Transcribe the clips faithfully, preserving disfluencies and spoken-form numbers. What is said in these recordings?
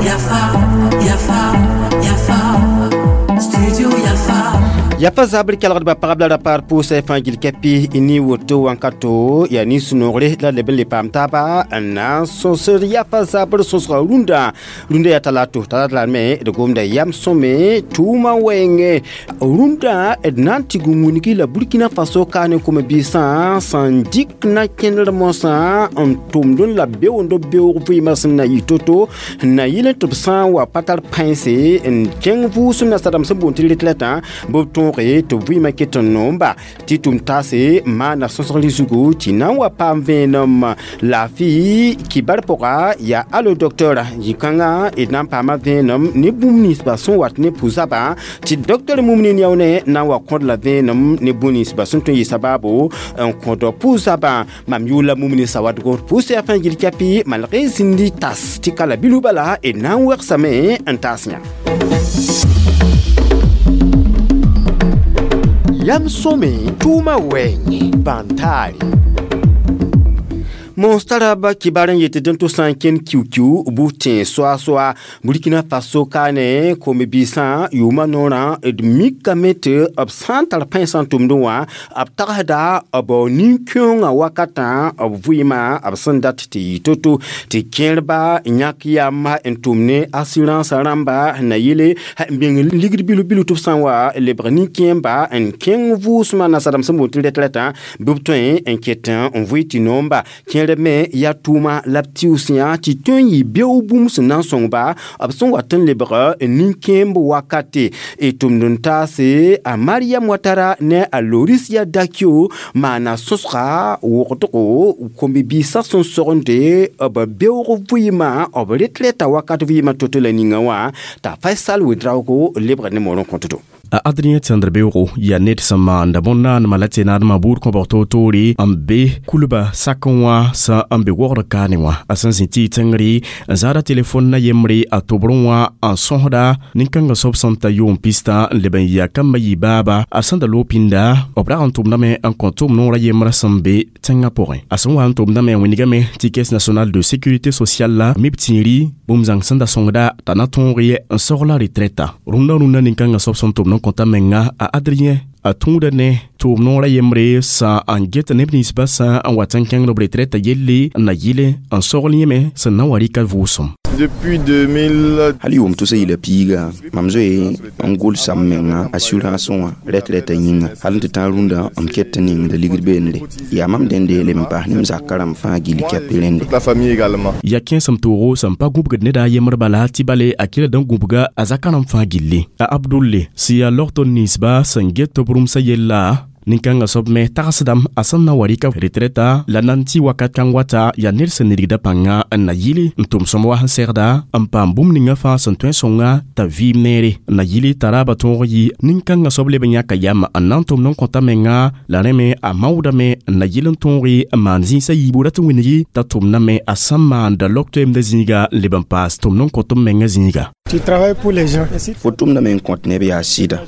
Yafa, Yafa, Yafa, Studio Yafa. Yafa zabr kelgdba pagb la ra-paar pʋʋsã fãa gil kɛpɩ ne woto wãnkato yaa nin-sũ-noogre la leb n le paam taaba n na n sõsd yafa zabr sõsga rũndã rũndã yaa talato talat la me d gomda yam sõme tʋʋmã wɛɛngẽ rũndã d na n tɩg n wilgi la Burkina Faso ka ne kom-biisã sẽn dɩk na kẽndr mosã n tʋmd n la beoond beoog vɩɩmã sẽn na yɩ to-to n na yɩl tɩ b sã n wa pa tar pãense n kẽng vʋʋsem nasadame sẽn boond tɩ retrɛtã bɩ b tõoge tɩ vɩɩmã ket n noomba tɩ tʋm taase maana sõsgr zugu tɩ na n wa paam vẽenem laafɩ kibar pʋga yaa alo docteur yĩ-kãngã d na n paama vẽenem ne bũmb ninsba sẽn wat ne pʋ-zabã tɩ docteur Mumini Niaone na n wa kõd la vẽenem ne bũmb ninsba sẽn tõe n yɩ sabaabo n kõd pʋ-zabã mam yʋʋl la Mumini Sawadgo pʋʋs yaa fãa gil kɛpɩ malg y zĩndi tas tɩ ka la bilu bala d na n wegsame n taas yã. Yam sõme tʋʋmã wɛɛngẽ bãn-taare. Mos tara ba kibar n yetɩ dẽn tɩ sã n kẽnd kiu-kiu bʋ-tẽes soa-soa Burkina Faso kaane kom-biisã yʋʋmã noorã d mikame tɩ b sã n tar pãensã n tʋmdẽ wã b tagsda b nin-kẽoongã wakatã b vɩɩmã b sẽn dat tɩ yɩ to-to tɩ kẽerba yãk yam n tʋm ne assurance rãmba na yele n bĩng ligd bilu-bilu tɩ b sã n wa lebg nin-kẽemba n kẽng vʋʋsmã nasadame sẽn boond tɩ retrɛtã bɩ b tõe n ket n vʋɩ tɩ noomba kẽer me yaa tʋʋma la b tɩʋs yã tɩ tõe n yɩ beoog bũmb sẽn na n sõngba b sẽn wat n lebg nin-kẽemb wakate d tʋmd n taase a Mariam Watara ne a Lorisia Dakio maana sõsga wogdgo kom-biisã sẽn sogende b beoog vɩɩmã b retrɛta wakat vɩɩmã to-to la ninga wã t'a Faisal Ouedraogo lebg ne moor n kõtdo. A Adrien Tẽndr beoogo yaa ned sẽn maanda bõn-naanema la tɩ naadmã buud kõbg toor-toore n be kulba sakẽ wã sã n be wogd kaane wã a sẽn zĩ tɩ tẽngre n zaada telefon na yembre a tobrẽ wã n sõsda nin-kãngã soab sẽn ta yʋʋm pistã n leb n yaa kambã yɩ baaba a sẽn da loog pĩnda b rag n tʋmdame n kõ tʋʋm noorã yembrã sẽn be tẽngã pʋgẽ a sẽn wa n tʋmdame n wilgame tɩ Caisse nationale de sécurité sociale la mib tĩiri bũmb zãng sẽn da sõngda t'a na tõog n sogla retrɛta rũndã rũndã nin-kãngã soab sẽn tʋmd n kõta menga a Adrien a tũuda ne tʋʋm noorã yembre sã n get neb ninsbã sã n wat n kẽngd b retrɛtã yelle n na yɩle n sogl yẽme sẽn na n wa rɩka vʋʋsem. Depuis deux mille hal yʋʋm tʋsa yɩla piiga mam zoe n gʋlsa m menga assurance wã retrɛtã yĩnga hal n tɩ tãag rũndã m ket tɩ ningda ligd beenre yaa mam dẽnde leb n paas ne m zakã rãmb fãa gill kɛp rẽnde. La famille également. Ya kẽesem toogo sẽn pa gũbgd neda a yembr bala tɩ bale a kɩla n gũbga a zakã rãmb fãa gilli a Abdulle sẽn yaa logtr ninsba sẽn get b rũmsã yella nin-kãngã soab me tagsdame a sẽn na wa rɩka retrɛta la nan tɩ wakat kãng wata yaa ned sẽn nidgda pãnga n na yɩle n tʋm sõm wa sẽn segda n paam bũmb ninga fãa sẽn tõe n sõnga t'a vɩɩm neere n na yɩle t'a raaba tõog yɩ nin-kãngã soab leb n yãka yam n na n tʋmd n kõta menga la rẽ me a maoodame n na yɩl n tõoge n maan zĩisã yiibu rat n wilgi t'a tʋmdame a sẽn maanda log toeemdã zĩiga n leb n paas tʋmd n kõt m menga zĩiga. Tu travailles pour les gens. Fo tʋmdame n kõt neb yaa sɩda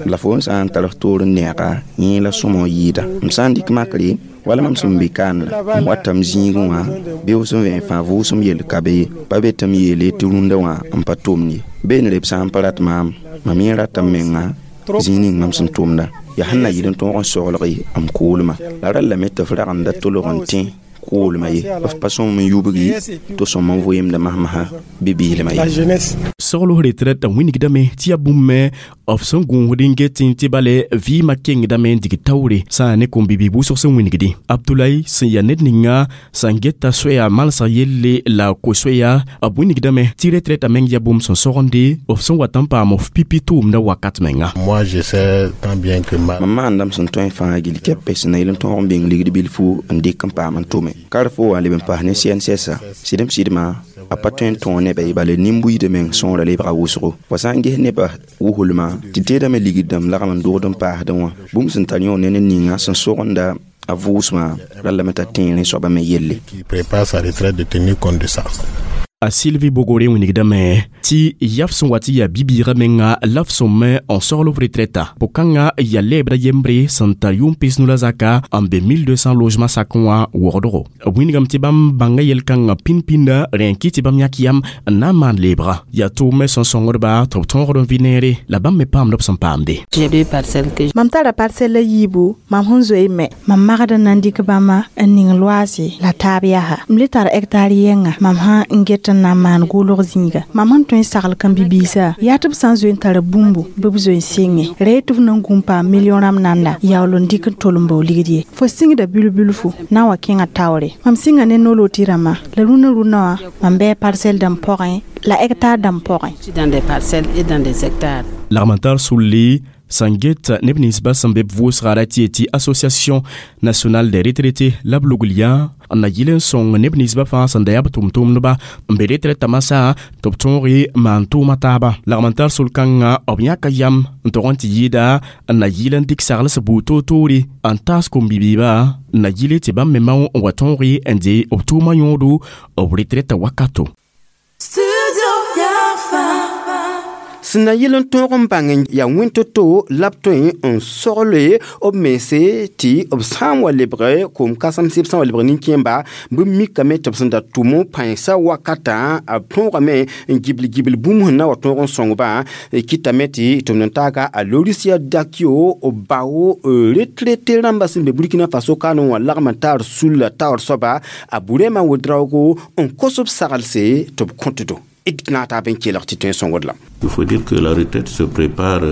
la fo n sã n tar f toor n neega yẽ la sõma n yɩɩda m sã n dɩk makre wala mam sẽn be kaanra m watame zĩigẽ wã beoog sẽn vẽ fãa vʋʋsem yell ka be ye pa be tɩ m yeele tɩ rũndã wã n pa tʋmd ye beene b sã n pa rat maam mam yẽ rata m menga zĩig ning mam sẽn tʋmda yaa sẽn na yɩl n tõog n soglg m koolmã la rallame tɩ f ragenda tolg n tẽ koolmã ye f pa sõm n yubgi tɩ sõm n vɩɩmda masmasã bi-biilmã ye. Sogl retrɛtã wĩnigdame tɩ yaa bũmb me b sẽn gũusd n get tɩ bale vɩɩmã kengdame n dig taoore sã n ne kom-bibi wʋsg sẽn wĩnigdi Abdoulaye sẽn yaa ned ninga sẽn geta soɛa malsg yelle la ko-soɛa b wĩnigdame tɩ retrɛtã meng yaa bũmb sẽn sogende b sẽn wat n paam f pipi tʋʋmdã wakat menga. Moi, j'essaie tant bien que mal. Mam maandame sẽn tõe fãa gill kɛpɛ sẽn na yɩl n tõog n bĩng ligd bilfu n dɩk n paam n tʋme kar fo wã leb n paas ne C N S S sɩdem sɩdmã a pa tõe n tõog nebã ye bala nin-buiidã meng sõora lebga wʋsgo fo sã n ges nebã wuslmã tɩ teedame ligd dãmb lagm n dogd n paasdẽ wã bũmb sẽn tar yõ ne ned ninga sẽn sogenda a vʋʋsmã rallame t'a tẽerẽ soabã me yelle. Qui prépare sa retraite de tenir compte de ça. A Sylvie Bogore wingdame tɩ yaf sẽn wa tɩ yaa bi-biigã menga la f sõm n sogl f retraita pʋ-kãngã yaa lɛɛbrã yembre sẽn tar yʋʋm pis-nu la zaka n be mille deux cents logement sakẽ wã wogdgo b wingame tɩ bãmb bãnga yel-kãngã pĩnd-pĩnda rẽ n kɩt tɩ bãmb yãk yam n na n maan leebga yaa tʋʋmɛ sẽn sõngdba tɩ b tõogd n vɩ neere la bãmb me paamd b sẽn paamde. Mam tara parcelle yiibu mam sẽn zoe me. Mam magd n na n dɩk bãmba n ning loaase la taab yaa m le tar hectare yɛnga mam sã n get n na n maan goolg zĩiga mam sẽn tõe n sagl kãn-bibiisã yaa tɩ b sã n zoe n tar bũmbu bɩ b zoe n sɩnge ra tɩ f na n gũ n paam million rãmb nanda yaool n dɩk n tol n bao ligd ye fo sɩngda bilf-bilfu na n wa kẽngã taoore mam sɩnga ne no-looti rãmbã la rũnã rũnã wã mam bɩ parcelle dãmb pʋgẽ la hectare dãmb pʋgẽ. Lagm n tar sulli sẽn get neb ninsbã sẽn be b vʋʋsga ra tɩ yetɩ Association nationale des retraités la b lugl yã n na yɩl n sõng neb ninsbã fãa sẽn da yaa b tʋm-tʋmdba n be retraita masã tɩ b tõog maan tʋʋma taaba lagm n tar sol-kãngã b yãka yam n tog n tɩ yɩɩda n na yɩl n dɩk sagls buud toor-toore n taas kom-bibiibã n na yɩle tɩ bãmb me mao n wa tõog n dee b tʋʋmã yõodo b retraita wakato. Sẽn na yɩl n tõog n bãng yaa wẽn-to-to la b tõe n sogle b mense tɩ b sã n wa lebg koom-kãsemsɩ b sã n wa lebg nin-kẽemba bɩ mikame tɩ b sẽn da tʋm pãensã wakatã b tõogame n gibl gibl bũmb sẽn na wa tõog n sõngbã kɩtame tɩ tʋmd n taaga a Lorisia Dakio bao retraité rãmbã sẽn be Burkina Faso kaane wã lagm n taar sulla taoor soaba a Burema Ouedraogo n kos b saglse tɩ b kõtdo. Il faut dire que la retraite se prépare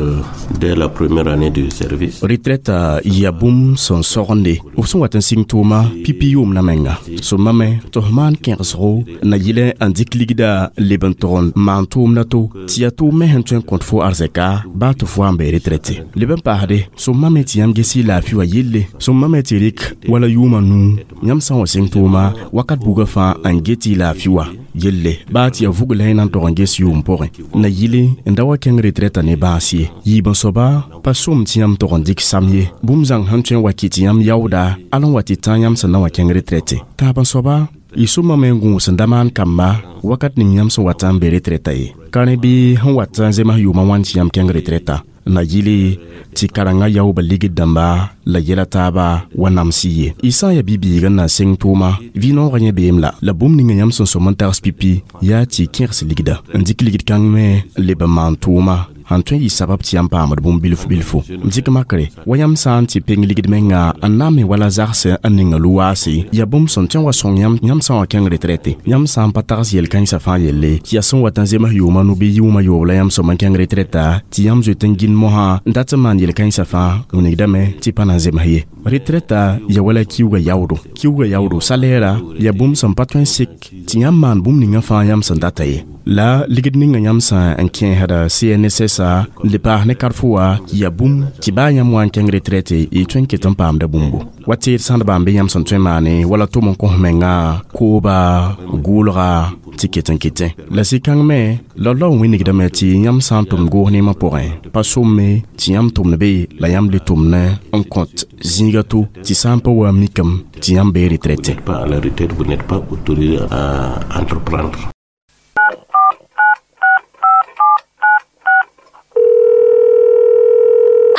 dès la première année de service. Retraite ya bũmb sẽn sogende b sẽn wat n sɩng tʋʋma pipi yʋʋm na menga sõmame tɩ f maan kẽgsgo na yɩl n dɩk ligda leb n tog n maan tʋʋmda to tɩ yaa tʋʋm me sẽn tõe n kõt fo arzɛka baa tɩ fo wa n be retraite leb n paasde sõmame tɩ yãmb ges y laafɩ wã yelle sõmame tɩ rɩk wala yʋʋma nuu yãmb sã n wa sɩng tʋʋma wakat buga fãa n get y laafɩ wã yelle baa tɩ yaa vugl la na n tog n ges yʋʋm pʋgẽ na yɩle n da wa kẽng retraita ne bãas ye yiib n soaba pa sʋm tɩ yãmb tog n dɩk sam ye bũmb zãng sẽn tõe n wa kɩ tɩ yãmb yaooda al n wa tɩ tã yãmb sẽn na wa kẽng retraite taab n soaba y sʋmame n gũus n da maan kamba wakat ning yãmb sẽn wat n be retraita ye ka rẽ bɩ sẽn wat n zems yʋʋmã wãn tɩ yãmb kẽng retraita na yɩle tɩ karengã yaooba ligd dãmba la yɛla taaba wa nams ye y sã n yaa bi-biig n na n seng tʋʋma vɩ-noogã yẽ beem la la bũmb ninga yãmb sẽn sõm n tags pipi yaa tɩ y kẽgs ligda n dɩk ligd kãng me n leb n maan tʋʋma sẽn tõe n yɩ sabab tɩ yãmb paamd bũmb bilf bilfo n dɩk makre wa yãmb sã n tɩ peng ligd menga n na n me wala zags n ninga lu-waase yaa bũmb sẽn tõe n wa sõng yãmb yãmb sã n wa kẽng retraite yãmb sã n pa tags yel-kãensã fãa yelle tɩ yaa sẽn wat n zems yʋʋma nu bɩ yʋʋma yoob la yãmb sõm n kẽng retraita tɩ yãmb zoet n gĩnd mosã n dat n maan yel-kãensã fãa wilgdame tɩ pa na n zems ye retraita ya wala kiuga yaoodo kiuga yaoodo salɛɛra yaa bũmb sẽn pa tõe n sek tɩ yãmb maan bũmb ninga fãa yãmb sẽn data ye la ligd ninga yãmb sã n kẽesda C N S S n le paas ne karfo wã yaa bũmb tɩ baa yãmb wa n kẽng retraite y tõe n ket n paamda bũmbo wa teed sãdba n be yãmb sẽn tõe n maane wala tʋm n kõs menga kooba gʋʋlga tɩ ket n ketẽ la sɩ-kãng me la la n wĩnigdame tɩ yãmb sã n tʋmd goos neemã pʋgẽ pa sõmme tɩ yãmb tʋmd be la yãmb le tʋmd n kõt zĩiga to tɩ sã n pa wa mikame tɩ yãmb bee retraite. Pas à la retraite, vous n'êtes pas autorisé à entreprendre.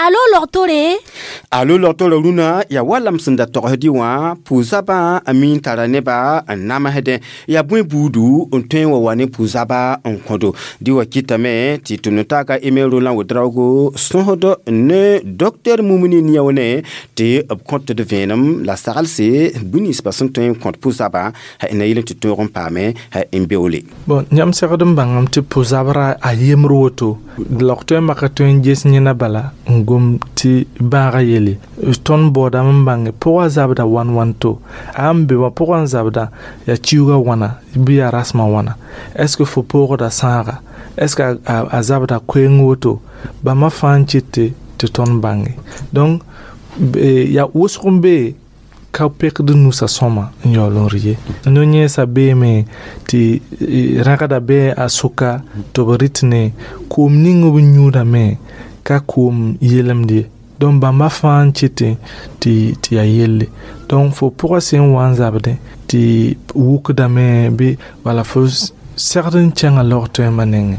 Alo logtore. Alo logtore rũnã yaa wa lam sẽn da togsdi wã pʋ-zabã a mi n tara nebã n namsdẽ yaa bõe buudu n tõe n wa wa ne pʋ-zabã n kõdo dɩ wa kɩtame tɩ tʋmd taaka Aimé Roland Ouedraogo sõsd ne docteur Mumuni Niaone tɩ b kõt d vẽenem la saglse bũmb ninsbã sẽn tõe n kõt pʋ-zabã na yɩl tɩ tõog n paame n beoole. Bon, yãmb segd n bãngame tɩ pʋ-zabrã a yembr woto log tõe n maka tõe n ges yẽna bala n gom tɩ bãagã yele tõnd baoodame n bãnge pʋgã zabda wan wan to a n be wã pʋgã n zabda yaa kiuugã wãna bɩ yaa rasmã wãna est ce que fo poogda sãaga est ce que a, a zabda koeeng woto bãmba fãa n kɩt tɩ tõnd bãnge donc yaa wʋsg n be ka pekd nusa sõma n yaool n rɩ ye no-yẽesã beeme tɩ rãgda be a sʋka tɩ b rɩt ne koom ning b yũudame ka koom yelemd ye donc bãmba fãa n kɩtẽ tɩ tɩ yaa yelle donc fo pʋgã sẽn wa n zabdẽ tɩ wukdame bɩ wala fo Segd n kẽngã log tõema nengẽ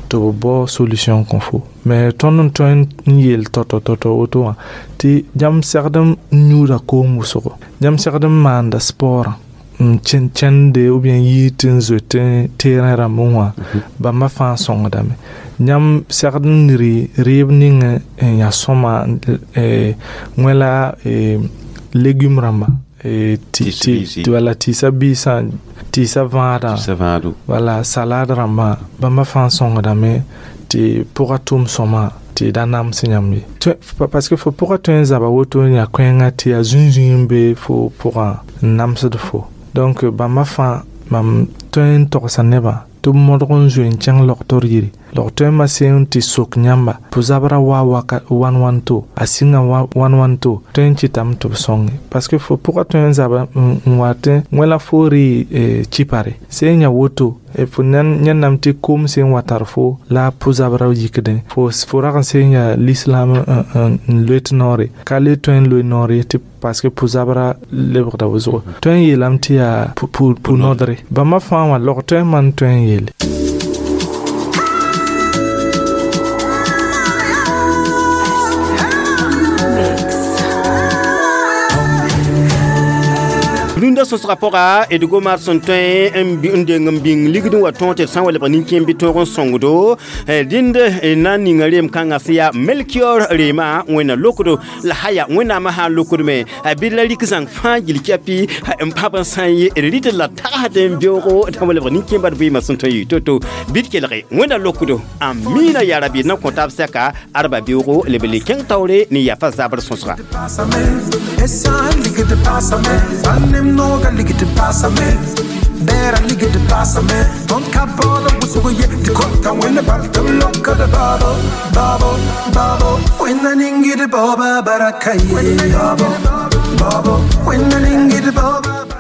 tɩ b bao solution kõ fo mais tõnd n tõe n yeel tao-tao tao-tao woto wã tɩ yãmb segd n yũuda koom wʋsgo yãmb segd n maanda sporã n kẽnde ou bien yɩ tɩ n zoet terrain rãmbẽ wã bãmba fãa sõngdame yãmb segd n rɩ rɩɩb ning n yaa sõma wẽ la légume rãmba wala tɩɩsa biisã tɩɩsa vãadã wala salade rãmbã bãmba fãa sõngdame tɩ pʋga tʋʋm sõma tɩ da nams yãmb ye parce que fo pʋga tõe n zaba woto n yaa koɛɛngã tɩ yaa zũn-zũi n be fo pʋgã n namsd fo donc bãmba fãa mam tõe n togsa nebã tɩ b modg n zoe n kẽng logtr yiri log-toɛɛmã sẽn tɩ sok yãmba pʋ-zabrã wa wan wanto a sɩnga wan wanto tõe n kɩtame tɩ b sõnge parce que fo pʋgã tõe n zaba n wa tɩ wẽ la fo rɩ chipare sẽn yã woto fo yẽnname tɩ kom sẽn wa tar fo la pʋ-zabrã yikdẽ fo fo rag n sẽn yaa l'islam n loet noore ka le tõe n loe noore tɩ parce que pʋ-zabrã lebgda wʋsgo tõe n yeelame tɩ yaa pʋ-nodre bãmba fãa wã log-toɛɛmã n tõe n yeele. Rũndã sõsgã pʋga d gomar sẽn tõe n deng n bĩng ligd n wa tõog tɩ d sã n wa lebg nin-kẽem bɩ tõog n sõngdo dĩnd na n ninga reem kãngã sẽn yaa Melchior reema wẽnna lokdo la haya wẽnnaamã sã n lokdme bɩ la rɩk zãng fãa gill kɛpɩ n pãb n sã n ye d rɩtd la tagsd n beoogo tã wa lebg nin-kẽembã d vɩɩmã sẽn tõe n yɩ to-to bɩ d kelge wẽnna lokdo amina yaa rabi na kõ taab sɛka arba beoogo leb le kẽng taoore ne yafa zabr sõsga. Noga ligger det passar mig. Bära ligger det passar mig. De kan bada och så går jättekorta. When the baltan lockade babo, babo, babo. When the ingi det baba barakaye. Babo, babo. When the ingi det baba.